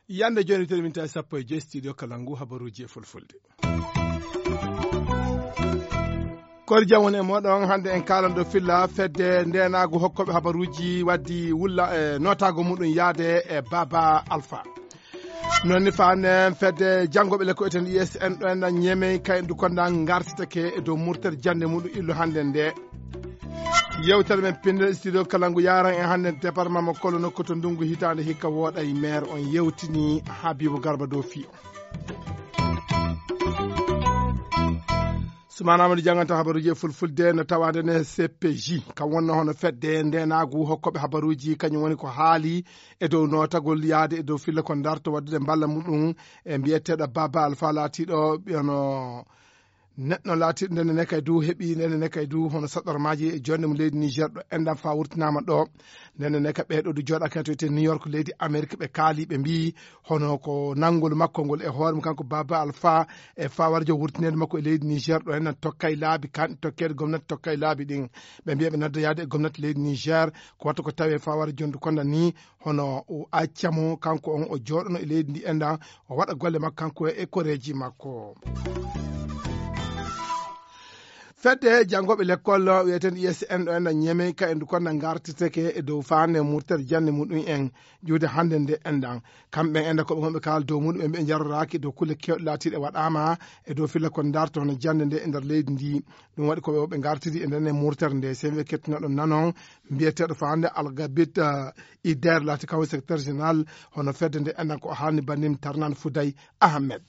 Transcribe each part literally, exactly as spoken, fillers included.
Yande jooni, teɗminta e sappo e joy studio Kalangu, habaruuji e fulfulde. Koori jam woni e mooɗon. Hannde en kaalan ɗo filla fedde ndeenaagu hokkooɓe habaruuji waddi wulla e nootaago muɗum yaade e Baba Alpha. Noon ni faande fedde janngooɓe lekko eten I S N ɗo en Ñemey kay ndu konda ngartitake e dow murtere jannde muɗum illo hannde nde. Yewtere men pinndere studio Kalangu yaran en hannde département mo Kolo nokku to ndungu hitaande hikka wooɗay maire on yewtini Habibu Garba dow fii on. Sumana Amadou jannganta habaruuji e fulfulde no tawaade ne C P J, kam wonno hono fedde ndeenaagu hokkooɓe habaruuji, kañum woni ko haali e dow nootagol yaade e dow filla ko darto waddude mballa muɗum e mbiyeteeɗo Baba Alpha laatiiɗo ɓiyano neɗɗo laatiiɗo ndenne ne kay du heɓi ndenne ne kay du hono saɗɗormaaji e jonde mo leydi Niger ɗo enɗam fa wurtinaama ɗo. Ndenne ne ka ɓeeɗo du jooɗa kay to wiyetee New York leydi Amerique, ɓe kaali, ɓe mbiyi hono ko nanngol makko ngol e hoore mum kanko Baba Alpha e fawarjo wurtineede makko e leydi Niger ɗo enɗam tokkay laabi kan tokkeede gomnati tokkay laabi ɗin. Ɓe mbiya ɓe nadda yaade e gomnati leydi Niger ko watta ko tawi e fawarjo ndu konda ni hono o acca mo kanko on o jooɗono e leydi ndi enɗam o waɗa golle makko kanko e koreeji makko. Fedde janngooɓe lekkol wiyeten I S N ɗo enɗam Ñemey ka e ndu konda ngartiteke e dow faande murtere jannde muɗum en juude hannde nde enɗam. Kamɓe enɗam ko ɓe wonɓe kaala dow muɗum ɓe njaroraaki dow kulle kewɗe laatiiɗe waɗaama e dow filla ko darto hono jannde nde e nder leydi ndi. Ɗum waɗi ko ɓe woɓɓe ngartidi e nden e murtere nde. Semi kettinooɗo nanon mbiyeteeɗo faande Algabit, eh, Ider laati kawo secrétaire général hono fedde nde enɗam ko o haalni bandim Tarnan Fouday Ahmed.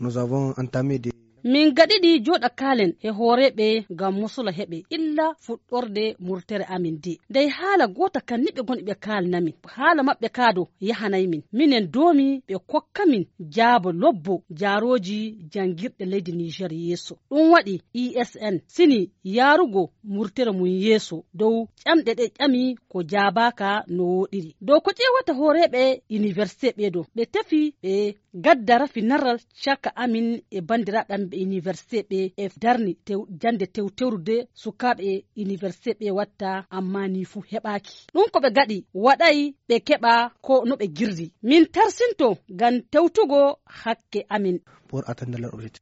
Nous avons entamé des Min gaɗiɗi jooɗa kaalen e hooreeɓe ngam musula heɓe illa fuɗɗorde murtere amin de. Dey haala goota kan ni ɓe ngoni ɓe kaalnamin. Haala maɓɓe kaa do yahanay min. Minen doomi ɓe kokka min jaabo lobbo jaarooji janngirɗe leydi Niger yeeso. Ɗum waɗi I S N sini yaarugo murtere mum yeeso dow ƴamɗe ɗe ƴami ko jaabaaka no wooɗiri. Dow ko ƴeewata hooreeɓe université ɓee do, ɓe tefi ɓe gadda rafi narral caka amin e banndiraaɓe amin ɓe université ɓe e darni tew-, jannde tewtewrude sukaaɓe e université ɓe watta, ammaa nii fuu heɓaaki. Ɗum ko ɓe gaɗi waɗay ɓe keɓa ko no ɓe girdi. Min tarsinto ngam tewtugo hakke amin. Pour atteindre leur objectif.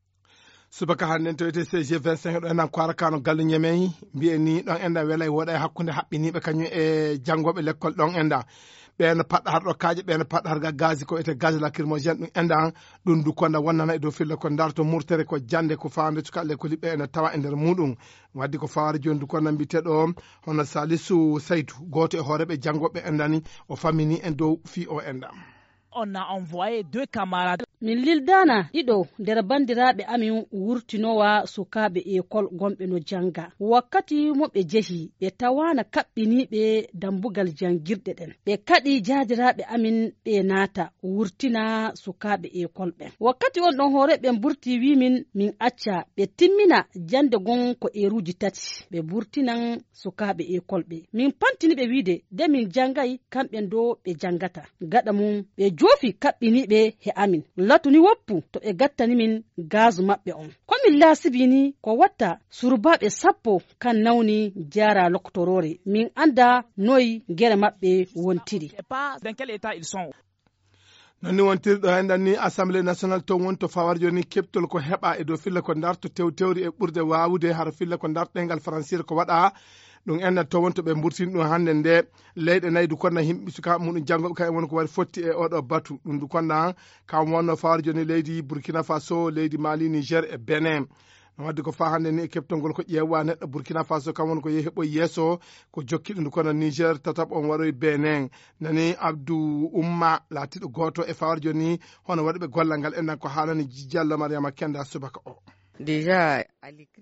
Subaka hannde en tawete C G vingt-cinq ɗo enɗam Kwara Kano galle Ñemey, mbiyen ni ɗon enɗam welay woɗay hakkunde haɓɓiniiɓe kañum e janngooɓe lekkol ɗon enɗam. Ɓeen paɗɗa har ɗo kaaƴe, ɓeen paɗɗa har ga gazi ko wiyetee gaz lacrymogène ɗum enɗam, ɗum du konda wonnana e dow filla ko darto murtere ko jannde ko faande cuka lekkoli ɓe ene tawa e nder muɗum. Waddi ko fawaade jooni du konda mbiteɗo hono Salisu Saydu, gooto e hooreeɓe janngooɓe enɗam ni, o famini en dow fii o enɗam. On a envoyé deux camarades. Min lildaana ɗiɗo nder banndiraaɓe amin wurtinowa sukaaɓe ekol gonɓe no jannga. Wakkati mo ɓe jehi, ɓe tawaana kaɓɓiniiɓe dambugal janngirɗe ɗen. Ɓe kaɗi jaadiraaɓe amin ɓe naata wurtina sukaaɓe ekol ɓen. Wakkati on ɗon hooreeɓe ɓen burti wii min, min acca ɓe timmina jannde gon ko eeruuji tati. Ɓe burtinan sukaaɓe ekol ɓe. Min pantini ɓe wiide, de min janngay, kamɓe ɗo ɓe janngata. Gaɗa mum, ɓe joofi kaɓɓiniiɓe he amin. Latu ni woppu to ɓe gattani min gaazu maɓɓe on. Ko min laasibii ni, ko watta surbaaɓe sappo kan nawni jaara lokotoroore. Min annda noy gere maɓɓe wontiri. Pas dans quel état ils sont. Non ni wontiri ɗo enɗan ni Assemblée nationale toon woni to fawar jooni keɓtol ko heɓa e dow filla ko darto tewtewri e ɓurde waawude hara filla ko darto ɗengal Faransiire ko waɗa. Ɗum enɗan toon woni to ɓe mburtini ɗum hannde nde leyɗe nayi du konna yimɓe sukaaɓe muɗum janngooɓe kañum woni ko waɗi fotti e oɗo batu. Ɗum du konna kam wonno fawar jooni leydi Burkina Faso, leydi Mali, Niger e Benin. No wadde ko faa hannde ni e keɓtol ngol ko ƴeewa neɗɗo Burkina Faso kam woni ko yehi heɓoy yeeso ko jokki ɗum kono Niger tataɓo on waroy Benin. Nani Abdou Oumma laatiiɗo gooto e fawar jooni hono waɗuɓe gollal ngal enɗan ko haalani Diallo Mariama Kenda subaka o. Déjà,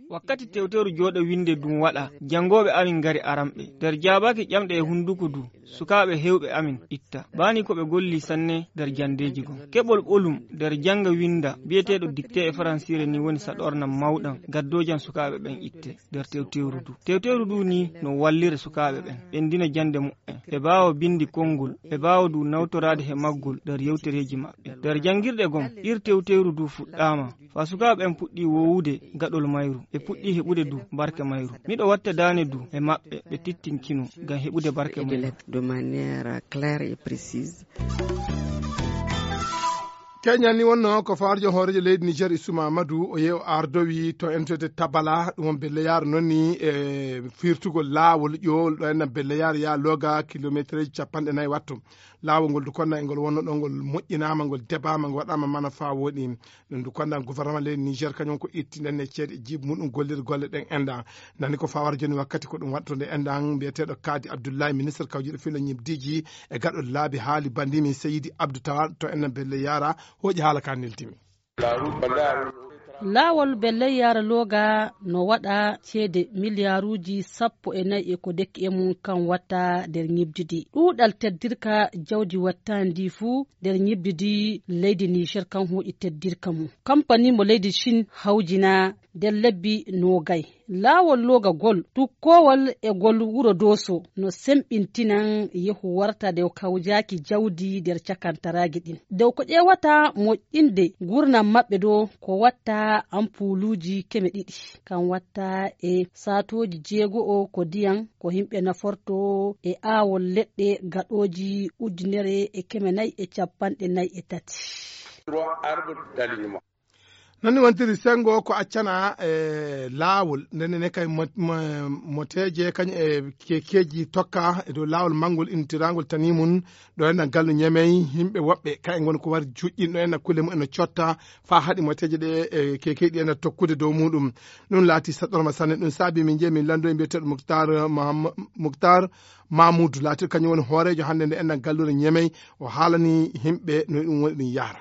wakkati tewteru jooɗo winnde dum waɗa, janngooɓe amin ngari aramɓe. Nder jaabaaki ƴamɗe e hunnduko du, sukaaɓe heewɓe amin itta. Bani ko ɓe golli sanne nder janndeeji gom. Keɓol ɓolum nder jannga winnda, biyeteeɗo dictée e faransiire ni woni saɗornam mawɗam, gaddoojan sukaaɓe ɓen itte nder tewteru du. Tewteru du ni no wallira sukaaɓe ɓen, ɓe ndina jannde muɓɓen. Ɓe baawa binndi konngol, ɓe baawa du nawtoraade he maggol nder yewtereeji maɓɓe. Nder janngirɗe gom, ir tewteru du fuɗɗaama. Faa sukaaɓe ɓen puɗɗii woowude gaɗol mayru, ɓe puɗɗii heɓude du barke mayru. Miɗo watta daane du e maɓɓe, ɓe tittinkino ngam heɓude barke mayru. De manière claire et précise. Keñal ni wonno ko fawarjo hooreejo leydi Niger, Issouma Amadou, o yehi o ardowi to entete Tabala, ɗum won Belle Yara noon ni e firtugol laawol ƴoowol ɗo enna Belle Yara yaa looga kilometereeji capanɗe nayi wattu. Laawol ngol du konna e ngol wonno ɗo ngol moƴƴinaama, ngol debaama, ngol waɗaama mana faa wooɗi. Ɗum du konna gouvernement leydi Niger kañum ko itti nden e ceeɗe e jiibi muɗum gollirde golle ɗen enɗan. Nani ko fawara jooni wakkati ko ɗum waɗtude enɗan mbiyeteeɗo Kadi Abdoulaye, ministre kawjuɗo filo ñibdiiji e gaɗol laabi haali bandimi Seydi Abdou Tawal to enɗan Belle Yara hooƴi haala ka neltimi. Laawol Belle Yara looga no waɗa ceede miliyaaruuji sappo e nayi e ko dekki e mum kan watta nder ñibdi ndi. Ɗuuɗal teddirka jawdi wattaandi fuu nder ñibdi ndi leydi Niger kan hooƴi teddirka mum. Kampani mo leydi Chine hawjina nder lebbi noogay. Laawol loogagol tukkoowal e gol wuro Dooso no semɓintinan yehu warta nde kawjaaki jawdi nder cakantaraaji ɗin. Dow ko ƴeewata moƴƴinde nguurndam maɓɓe ɗoo ko watta ampuuluuji keme ɗiɗi. Kan watta e saatooji jeego'o ko ndiyam ko yimɓe naforto e aawol leɗɗe gaɗooji ujunere e keme nayi e capanɗe nayi e tati. Noon ni wontiri senngo ko accana e laawol ndenne ne kay mo- mo- moteeje kañum e kekeeji tokka e dow laawol manngol intirangol tani mum ɗo enɗan gallu ñemey yimɓe woɓɓe kay ngon ko wari juƴƴin ɗo enɗan kulle mum eno cotta faa haɗi moteeje ɗe e kekeeji ɗi enɗan tokkude dow muɗum. Ɗum laati saɗɗorma sanne ɗum saabi min jeeyi min lanndo e mbiyeteeɗo Muktar Maham- Muktar Mamoudou laatiɗo kañum woni hooreejo hannde nde enɗan gallure ñemey o haalani yimɓe no ɗum woni ɗum yahra.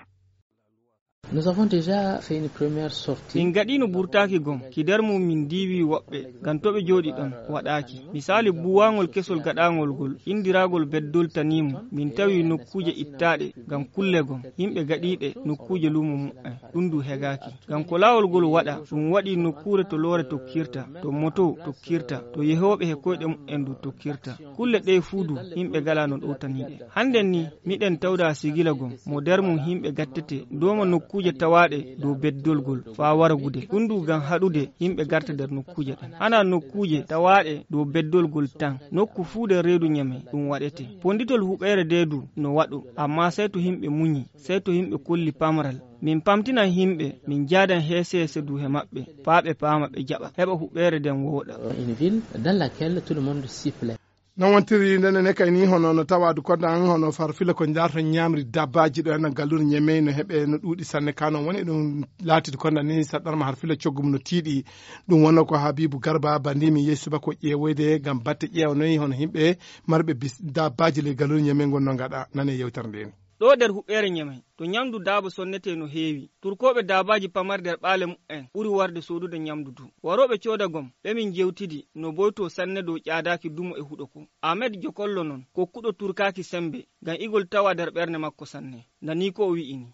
Nous avons déjà fait une première sortie. Min gaɗiino burtaaki gom ki nder mum min ndiiwi woɓɓe ngam to ɓe jooɗi ɗon waɗaaki. Misaali buuwaangol kesol gaɗaangol ngol inndiragol beddol tanimu min tawi nokkuuje ittaaɗe ngam kulle gom yimɓe gaɗiiɗe nokkuuje luumo muɓɓen ɗum du hegaaki. Ngam ko laawol ngol waɗa ɗum waɗi nokkuure to loore tokkirta to moto tokkirta to yehooɓe he koyɗe muɓɓen du tokkirta. Kulle ɗee fuu du yimɓe galaa no ɗowtanii ɗe. Hannden ni miɗen tawda sigila gom mo nder mum yimɓe gattete dooma nokkuuje tawaaɗe dow beddolgol faa waragude. Ɗum du ngam haɗude yimɓe garta nder nokkuuje ɗen. Hanaa nokkuuje tawaaɗe dow beddolgol tan. Nokku fuu nder reedu ñame ɗum waɗete. Ponnditol huɓeere ndee du no waɗo, ammaa sey to yimɓe muñi, sey to yimɓe kolli pamral. Min pamtinan yimɓe, min njaadan heese heese du he maɓɓe, faa ɓe paama ɓe jaɓa, heɓa huɓeere nden wooɗa. Une ville dans laquelle tout le monde s'y plaît. Non wontiri ndene ne kay ni hono no tawadu konda an hono far fila ko ndarto ñamri dabbaji ɗo enna gallure ñemey no heɓe no ɗuuɗi sanne ka non woni ɗum laatidi konda ni saɗɗarma har fila coggum no tiiɗi. Ɗum wonno ko Habibu Garba bandi min yehi subaka o ƴeewoyde ngam batte ƴeewnoyi hono yimɓe marɓe bis dabbaji ley gallure ñemey ngon no ngaɗa nane yewtere nde ni. Ɗo nder huɓeere ñemey to ñamdu daaba sonnetee no heewi. Turkooɓe daabaaji pamarɗi nder ɓaale muɓɓen ɓuri warde soodude ñamdu du. Warooɓe cooda gom ɓe min jewtidi no boytoo sanne dow ƴaadaaki dumo e huɗo ko. Amed Jokollo non kokkuɗo turkaaki semmbe ngam igol tawa nder ɓernde makko sanne. Nanii ko o wi'i ni.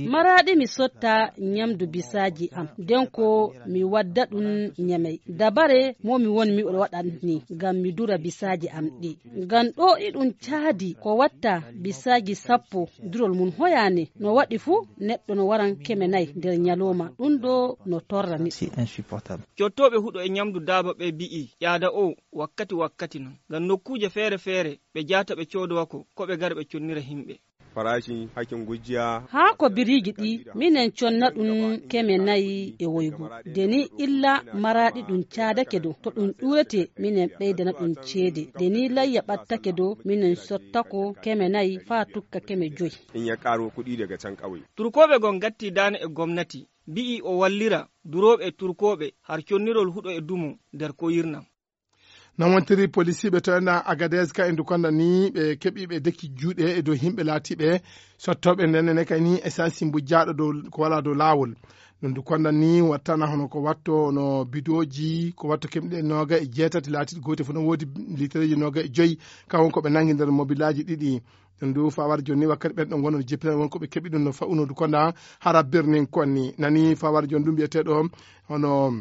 Maraaɗi mi sotta ñamdu bisaaji am nden ko mi wadda ɗum ñamey dabare mo mi won miɗo waɗa ni ngam mi dura bisaaji am ɗi. Ngam ɗo iɗum caadi ko watta bisaaji sappo durol mum hoyaani no waɗi fuu neɗɗo no waran keme nayi nder ñalooma ɗum ɗo no torra neɗɗo. Cottooɓe huɗo e ñamdu daaba ɓe bi'i ƴaada o wakkati wakkati non ngam nokkuuje feere feere ɓe jaata ɓe coodowa ko ko ɓe gara ɓe connira himɓe. Faraashi hakkin gujjiya. Haa ko biriiji ɗi minen conna ɗum keme nayi e woygu de ni illa maraaɗi ɗum caadake dow to ɗum ɗuurete minen ɓeydana ɗum ceede de ni layya ɓattake dow minen sottako keme nayi faa tukka keme joyi. In ya ƙaro kuɗi daga can ƙauye. Turkooɓe goo ngattii daane e gomnati mbi'i o wallira durooɓe e turkooɓe har connirol huɗo e dumo nder koyirnam. Noon wontiri polisiiɓe to enɗan Agadez ka e ndu konda ni ɓe keɓiiɓe deki juuɗe e dow yimɓe laatiiɓe sottooɓe nden ne kay ni essence mbujjaaɗo dow ko wala dow laawol. Ɗum ndu konda ni wattana hono ko watto no bidooji ko watto keɓɗe nooga e jeetati laatiiɗi goote fof no woodi litereeji nooga e joyi ka won ko ɓe nangi nder mobilaaji ɗiɗi. Ɗum ndu fawar jooni wakkati ɓen ɗo ngonno jippinal won ko ɓe keɓi ɗum no fa'uno ndu konda hara birnin konni nani fawar jooni ɗum mbiyeteeɗo hono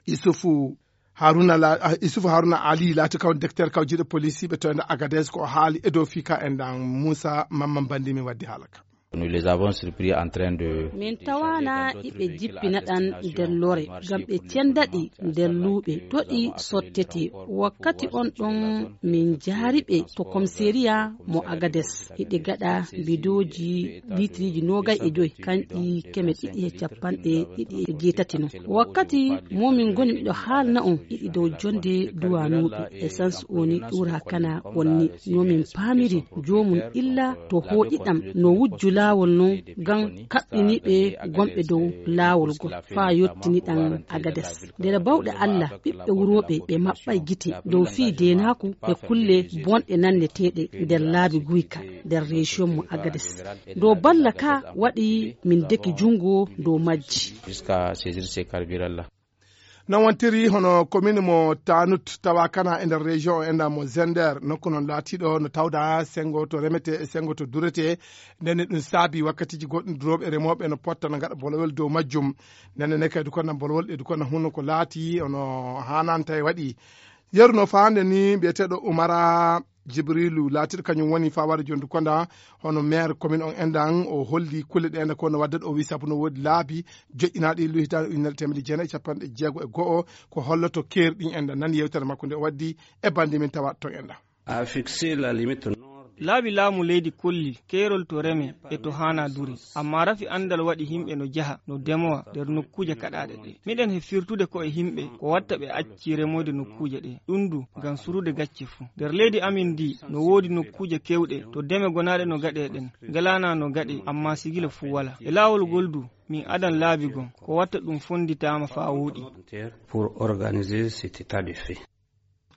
Isufu Haruna la ah, Isufu Haruna Ali laati kaw directeur kaw jiiɗo police ɓe toyna Agadez ko o haali e dow fika en dan Moussa Mamman Bandi mi waddi haala ka. Nous les avons surpris en train de Min tawana iɓe jippina ɗan nder lore ngam ɓe cendaɗi nder luuɓe toɗi sottete. Wakkati on ɗon min jaari ɓe to komiseriya mo Agades. Hiɗe gaɗa bidooji litiriji noogay e joy kanƴi keme ɗiɗi e capanɗe ɗiɗi e jeetati non. Wakkati mo min ngoni miɗo haalna on hiɗi dow jonde duwanuɓe essence oni ƴuura kana wonni no min paamiri joomum illa to hooƴiɗam no wujju laawol non ngam kaɓɓiniɓe gonɓe dow laawol ngol faa yottiniɗam Agades. Nder bawɗe Allah ɓiɓɓe wurooɓe ɓe maɓɓay gite dow fii deenaaku e kulle bonɗe nanneteeɗe nder laabi guyka nder région mo Agades. Dow balla ka waɗi min deki junngo dow majji. Jusqu'à saisir ces carburants-là. Non wontiri hono commune mo Tanut tawa kana e nder région o enda mo Zender nokku non laatiɗo no tawda sengo to remete e sengo to durete. Nden ɗum saabi wakkatiji goɗɗum durooɓe remooɓe no potta no gaɗa bolowel dow majjum. Nden ne kadi ko nan bolowol ɗe duko na hunno ko laati ono hananta e waɗi yeru no faande ni mbiyeteeɗo Umara Jibrilu laatiɗo kañum woni fawade jondu konda hono maire commune on endan o holli kulle ɗe enda ko no wadde o wi sabu no woodi laabi joƴƴinaaɗi luhitaade ujunere temedde jeenayi e capanɗe jeego e go'o ko holloto keeri ɗin enda nan yewtere makko nde o waddi e bandi min tawa ton enda. A fixé la limite nord. Laabi laamu leydi kolli keerol to reme e to haana dure. Amma rafi anndal waɗi yimɓe no jaha no demowa nder nokkuuje kaɗaaɗe ɗe. Miɗen he firtude ko e yimɓe ko watta ɓe acci remoyde nokkuuje ɗe. Ɗum du ngam surude gacce fuu. Nder leydi amin ndi no woodi nokkuuje kewɗe to deme gonaaɗe no gaɗe ɗen. Ngalaana no gaɗe amma sigila fuu wala. E laawol ngol du min adan laabi gon ko watta ɗum fonnditaama faa wooɗi. Pour organiser cet état de fait.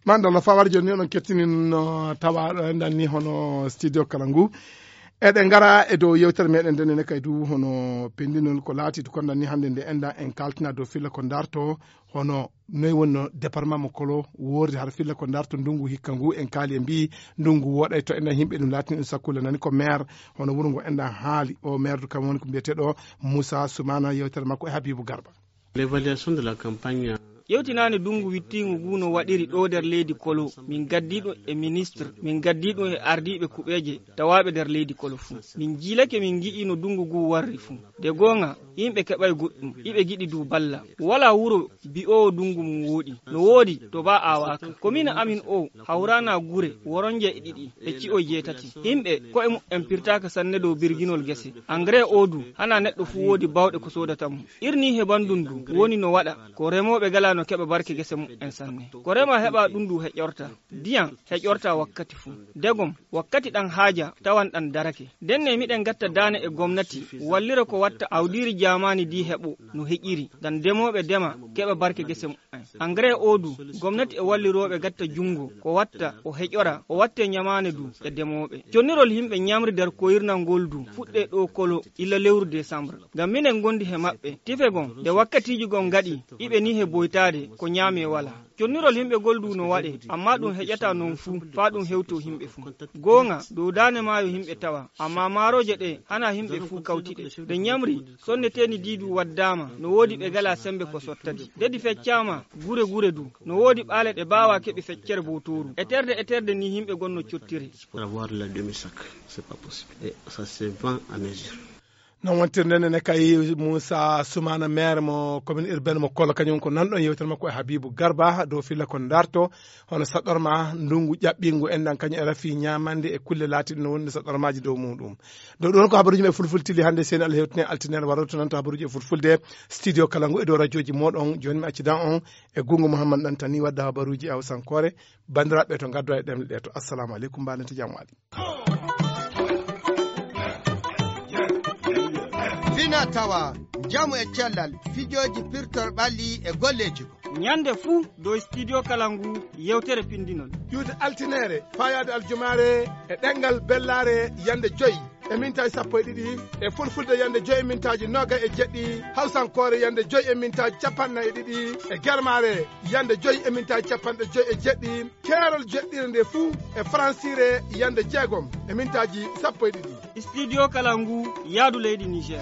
Mandalla fawar joni ni onon kettini no tawa ɗo enɗan ni hono studio kala ngu. Eɗen ngara e dow yewtere meɗen nden ene kay du hono pendinol ko laati to konɗan ni hannde nde enɗan en kaltina dow filla ko darto hono noy wonno département mo kolo wordi har filla ko darto ndungu hikka ngu en kaali e mbi ndungu woɗay to enɗan yimɓe ɗum laatini ɗum sakkule nani ko maire hono wuro ngo enɗan haali o maire du kam woni ko mbiyeteɗo Moussa Soumana yewtere makko e Habibou Garba. L'évaluation de la campagne. Yewtinaani dunngu wittiingu ngu no waɗiri ɗo nder leydi kolo min gaddiiɗo e ministre min gaddiiɗo e ardiiɓe kuɓeeje tawaaɓe nder leydi kolo fuu min jiilake min ngi'i no dunngu ngu warri fuu de goonga yimɓe keɓay goɗɗum iɓe giɗi du balla walaa wuro bi'oowo dunngu mum wooɗi no woodi to baa aawaaka komin amin o hawraana gure woronje e ɗiɗi e ci'oy jeetati yimɓe ko'e muɓɓen pirtaaka sanne dow birginol gese engrais o du hanaa neɗɗo fuu woodi baawɗe ko soodata mum irni he banndum du woni no waɗa ko remooɓe galaa no keɓa barke gese muɓɓen sanne ko rema heɓa ɗum du heƴorta diyan heƴorta wakkati fuu degom wakkati ɗan haaja tawan ɗan darake ndenne miɗen gatta daane e gomnati wallira ko watta awdiiri jaamaani di heɓo no heƴiri ngam demooɓe dema keɓa barke gese muɓɓen engrais o du gomnati e wallirooɓe gatta junngo ko watta o heƴora o watte ñamaane du e demooɓe connirol yimɓe ñamri nder koyirnal ngol du fuɗɗe ɗo kolo illa lewru décembre ngam minen ngondi he maɓɓe tife gon nde wakkatiiji gon ngaɗi iɓe ni he boytaade ko ñaame wala connirol yimɓe gol du no waɗe amma ɗum heƴata non fuu faa ɗum hewto yimɓe fuu goonga dow daane maayo yimɓe tawa amma maarooje ɗe hana yimɓe fuu kawtiɗe nde ñamri sonneteeni di du waddaama no woodi ɓe gala sembe ko sottadi dedi feccaama gure gure du no woodi ɓaale ɗe baawa keɓi feccere bowtooru eterde eterde ni yimɓe gonno cottire. Avoir la demi sac, c'est pas possible et ça se vend à mesure. Non wontirde nene kay Moussa Soumana maire mo commune urbaine mo Kolo kañum ko nanɗon yewtere makko e Habibou Garba dow filla ko darto hono saɗɗorma ndungu ƴaɓɓingu enɗan kañum e rafi ñamande e kulle laatiɗe no wonde saɗɗormaji dow muɗum dow ɗon ko habaruji men fulfultili hannde seni Allah hewtine altine waroto nan to habaruji e fulfulde studio kala ngu e dow radioji moɗon joni mi accidan on e gungu Mouhammad Dantani wadda habaruji e hawsankore bandiraɓe to gaddo e ɗemɗe ɗe to assalamu aleykum mbaɗen to jam waali. Fina tawa njamu e cellal fijooji pirtol ɓalli e golleeji ko Ñande fuu dow Studio Kalangu yewtere pinndinol. Ƴuwde altineere faayaade aljumaare e ɗemngal bellaare yande joy e mintaaji sappo e ɗiɗi, e fulfulde yande joy e mintaaji noga e jeɗɗi, hawsankoore yande joy e mintaaji capanɗe e ɗiɗi, e germaare yande joy e mintaaji capanɗe joy e jeɗɗi, keerol jeɗɗire nde fuu e faransiire yande jeegom e mintaaji sappo e ɗiɗi. Studio Kalangu, yaadu leydi Niger.